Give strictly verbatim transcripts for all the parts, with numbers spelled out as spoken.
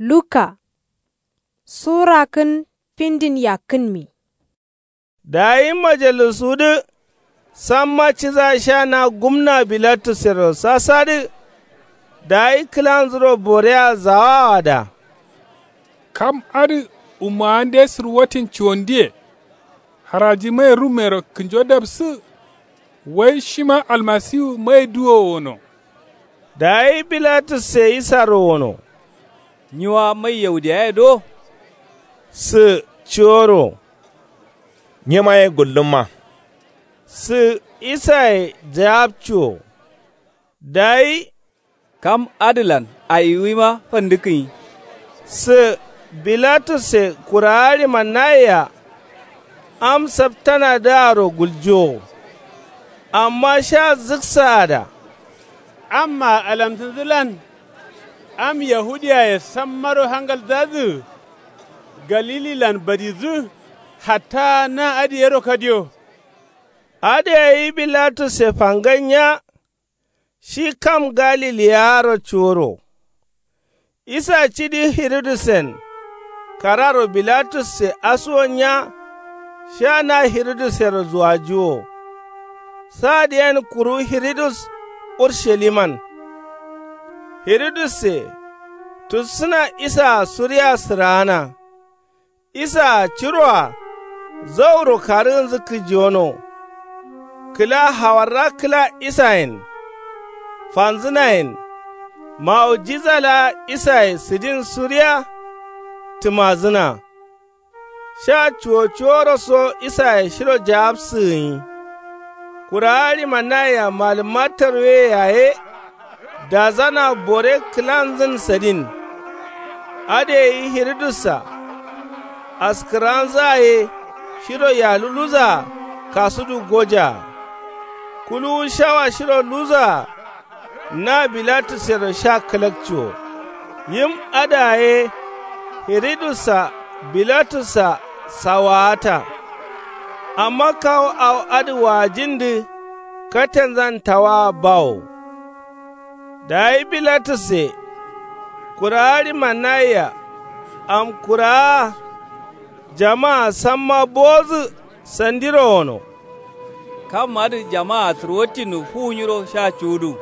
Luka. Sura kǝn findin yakkǝnmi. Dayi majalisuwudǝ samma ciza sha na gumna bilatussero sasadǝ. Dayi kǝlanzuro borea zawawoa da. Kam adǝ ummaande sǝrwotin cuwonduye. Haraji mai rummero kǝnjo dapsǝ. Wai shima almasiwu mai duwo wono. Dayi bilatusse isaro wono. Nyi wa mai yaudiyaye do? Sǝ cuworo. Nyima ye gullumma. Sǝ isaye jawabcuwo. Dayi kam adǝlan ayiwima fandǝkkǝnyi. Sǝ bilatusse kurawa ɍimannayea. Am saptanadǝaro guljowo. Amma sha zǝksaa da. Amma alamtǝndǝlan am yahudiyaye sammaro hangalzadǝ. Galililan badidǝ. Hatta na adǝ yero kadiyo. Adǝ gai bilatusse fangai nya. Shi kam galiliyaro cuworo. Isa cidi hirudusen kararo bilatusse asuwo nya. Sha na hirudusero zuwajiwo. Sadǝyen kuru hirudus urshaliman. Hirudusse tussǝna isaa suriya sǝraana. Isaa ciroa zauro karǝgǝnzǝ kǝjiwono. Kǝla hawarra kǝla isayen fanzǝnayen. Mawujiza laa isaye sǝdin suriya tǝmazǝna. Sha cuwo cuworo so isaye shiro jawabsǝ gǝnyi. Kurawa ɍimannayea malǝmma tarweye yaye. Dazana bore kǝlanzǝn sǝdin. Adǝ gai hirudussa askǝranzǝa ye shiro yaluluzaa kasudu gojaa. Kuluwu shawa shiro luzaa. Na bilatussero sha kǝlakcuwo. Yim adǝa ye hirudussa bilatussa sawaata. Amma kawu awo adǝ waajindǝ katenzan tawaa bawo. Dayi bilatusse kurawa ɍimannayea am kurawa. Jamaa samma bowodǝ sandiro wono. Kam adǝ jamaa sǝrwattinnu fuwu nyiro sha cuwudu.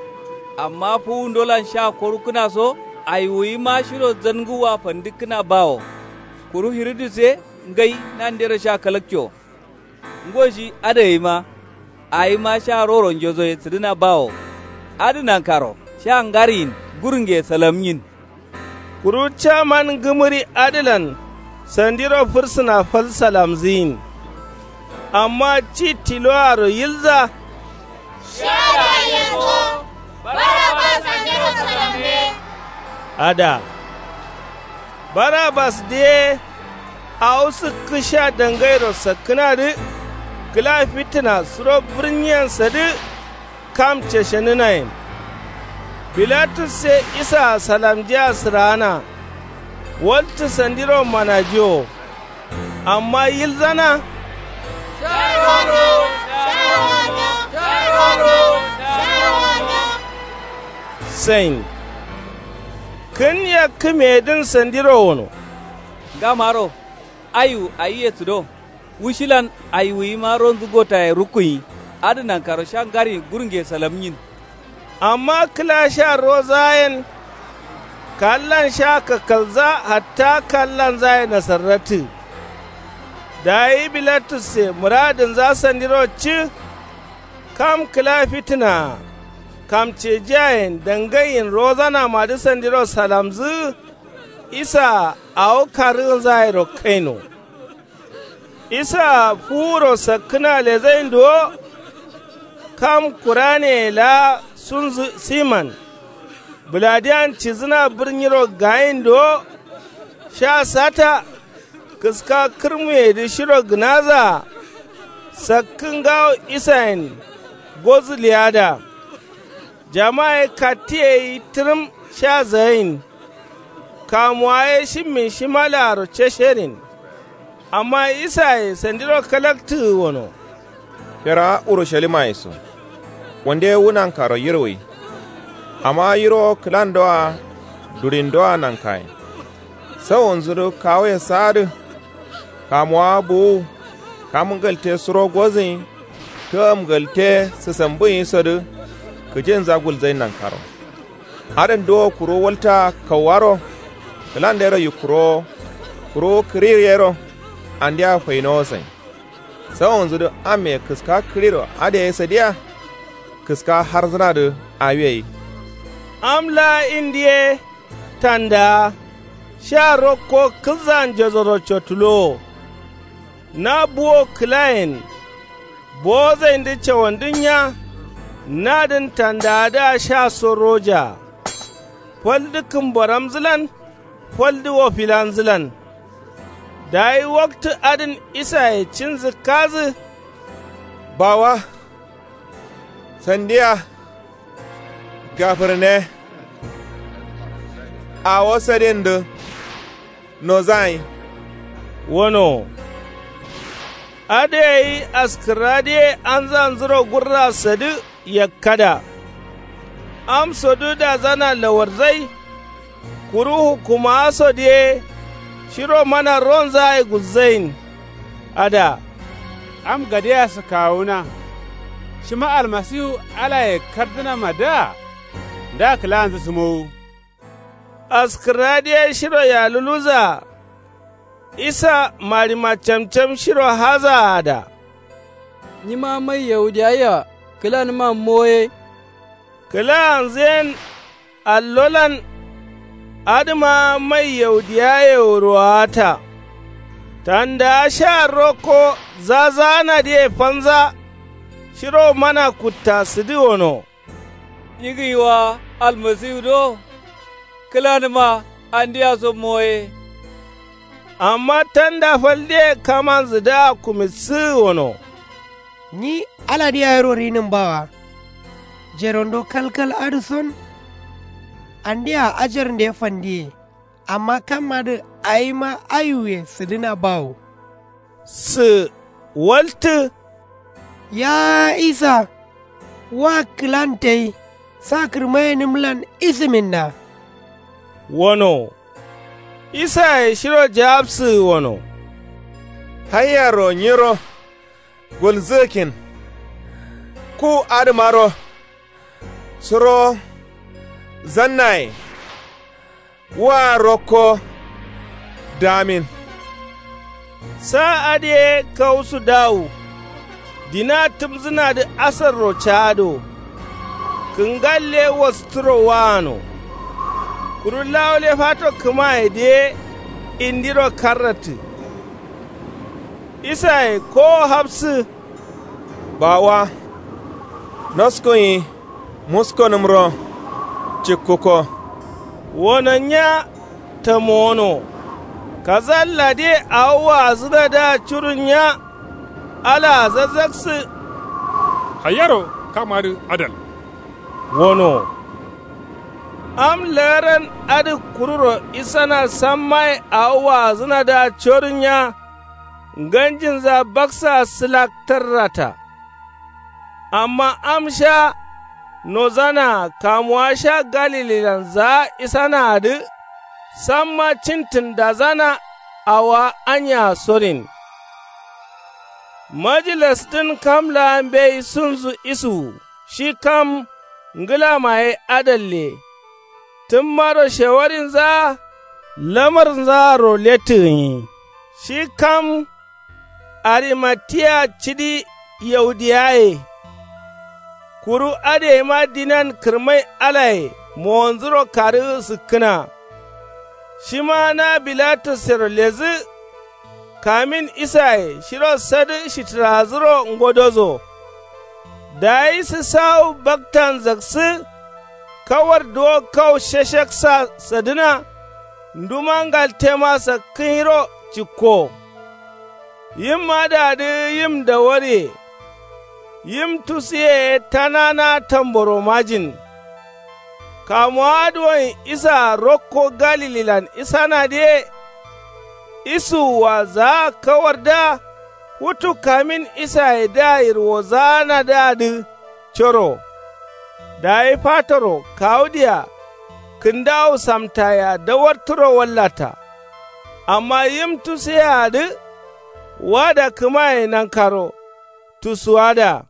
Amma fuwundolan sha korukkǝna so ayiwuyima shiro zangǝwwa fandǝkkǝna bawo. Kuru hirudus ye ngai nandero sha kalakco. Ngo shi adǝ gaima awima sha roro njosoye sǝdǝna bawo. Adǝ nankaro sha ngariyin gurunge salamnyin. Kuru caman ngǝmǝri adǝlan sandiro fǝrsǝna fal salamzǝyin. Amma ci tiloaro yilza. Sharo ayengo barabas andero salambe. Ada barabas dǝ ye. Awo sǝkkǝ sha dangairo sakkǝnadǝ. Kǝla fitǝna suro bǝrnyiyen sadǝ. Kam ceshenǝnayen. Bilatus ye isaa salamjea sǝraana. Waltǝ sandiro manajiwo. Amma yilzana. Sain. Kǝn yakkǝmeyedǝn sandiro wono. Ngamaro ayu ayiye sǝdo. Wushilan ayiwuyima ronzǝ gotaye rukkuyi. Adǝ nankaro sha ngariyin gurunge salamnyin. Amma kǝla sha rozayen. Kallan sha kakkalza hatta kallanzaye nasarratǝ. Dayi bilatus ye mǝradǝnza sandiro cǝ. Kam kǝla fitǝnaa kamcejiyayen dangaiyin rozanamadǝ sandiro salamzǝ. Isaa awo karǝgǝnzayero kaino. Isaa fuwuro sakkǝna lezaindo. Kam kuraneye laa sunzǝ siman. Bǝladiyan cidǝna bǝrnyiro gayindowo. Sha sata kǝska kǝrmuyedǝ shiro gǝnazaa. Sakkǝ ngawo isayen gozǝ leyada. Jama ye kattǝ ye yi tǝrǝm sha zayin. Kamuwa ye shimmin shimalaaro cesherin. Amma isaye sandiro kalaktǝgǝ wono. Ferawa urusalimaye so wande wu nankaro yirwai. Amma yiro kǝlandoa durindoa nankayen. Sawonzudǝ kawoye saadǝ. Kamuwa buwu. Kam ngalte suro gozǝnyi. Tǝgam ngalte sǝsambǝnyi sodǝ. Kǝjinza gulzain nankaro. Adǝn duwo kuru walta kauwaro. Kǝlandero yikkurowo. Kuru kǝrir yero. Andeya fainowo sain. Sawonzudǝ amme kǝska kǝriro adǝ yayi sadiya. Kǝska harzǝnadǝ. Awi yayi. Am laa indi ye. Tandaa. Sha rokko kǝzza njozoro cotulowo. Na buwo kǝlayen. Bowozaindǝ cawandǝ nya. Nadǝn tandaadǝa sha so roja. Faldǝ kǝmboramzǝlan. Faldǝ wofilanzǝlan. Dayi waktǝ adǝn isaye cinzǝ kazǝ. Bawa. Sandiya. Gafǝrne. Awo sadindǝ. Nozayin. Wono. Adǝ yayi askǝrradǝye anzanzuro gurra sadǝ. Yakkada. Amsodǝ dazana lawarzai. Kuru hukkumaasodǝ ye. Shiro mana ronzaaye gulzain. Ada. Am gadea sǝkkawuna. Shima almasiwu alaye kardǝnamadǝa. Nda kǝlaanzǝ sǝmowu. Askǝrradǝ ye shiro yaluluza. Isa marima camcam shiro hazaada. Nyima mai yaudiyaye-a kǝlanǝma moye. Kǝlaanzǝ yen. Allolan. Adǝma mai yaudiyaye-o ruwaata. Tandaa sha rokko zazaanadǝye fanza. Shiro mana kutta sǝdǝ wono. Nyi gǝyi wa almasiwu do. Kǝlanǝma andeya so moye. Amma tanda faldǝye kamanzǝdǝa kumitsǝgǝ wono. Nyi aladǝ yayiro rinǝm bawa. Jerondo kalkal adǝ son. Andea ajarnde fandiye. Amma kam adǝ awima ayiwuye sǝdǝna bawo. Sǝ waltǝ. Ya isa. Wa kǝlantai. Sa kǝrmayenǝmlan isǝminna. Wono. Isaye shiro jawabsǝgǝ wono. Haiyaro nyiro. Gulzǝgǝkin. Ku adǝmaro. Suro. Zannaye. Wa rokko. Damin. Sa adǝ ye kausu dawu. Dina tǝmzǝnadǝ asarro caado. Kǝngalle wastǝro waano. Kuru lawule fato kǝmayedǝ ye. Indiro karrattǝ. Isaye kowo hafsǝ. Bawa. Noskonyi. Muskonǝmro. Cikkuko. Wono nya. Tamono. Kazalla de awo waazǝnadǝa curun nya. Alaa zazzaksǝ. Hayaro kamadǝ adal. Wono. Am lagaran adǝ kururo isana sammaye awo waazǝnadǝa corun nya. Nganjinza baksaa sǝlak tarrata. Amma am sha nozanaa kamuwa sha galililan zaa isanaadǝ. Samma cintǝn dazana awowa aniyaa sorin. Majilasdǝn kam laa mbeyi sunzu isuwu shi kam ngǝlama ye adalle. Tǝmmaro shewarinzaa lamarnzaaro lettǝ gǝnyi. Shi kam arimatiya cidi yaudiyaye. Kuru adǝ yeima dinan kǝrmai alaye mowanzuro karǝgǝ sǝkkǝna. Shima na bilatussero ledǝ. Kamin isaye shiro sadǝ shitǝrazǝro ngodozo. Dayi sǝsawu baktan zaksǝ. Kawar duwo kau shashaksa sadǝna. Nduma ngaltema sakkǝnyiro cikko. Yim adǝadǝ yim dawarye. Yim tusuye ye tanana tamboromajin. Kamuwa adǝ wonyi isaa rokko galililan isanadǝye. Isuwwa zaa kawardǝa. Futu kamin isayedǝa yirwozaanadǝadǝ. Coro. Dayi fatoro kawudǝa. Kǝndawu samtayea dawartǝro wallata. Amma yim tusuyeadǝ wada kǝmaye nankaro tusuwada.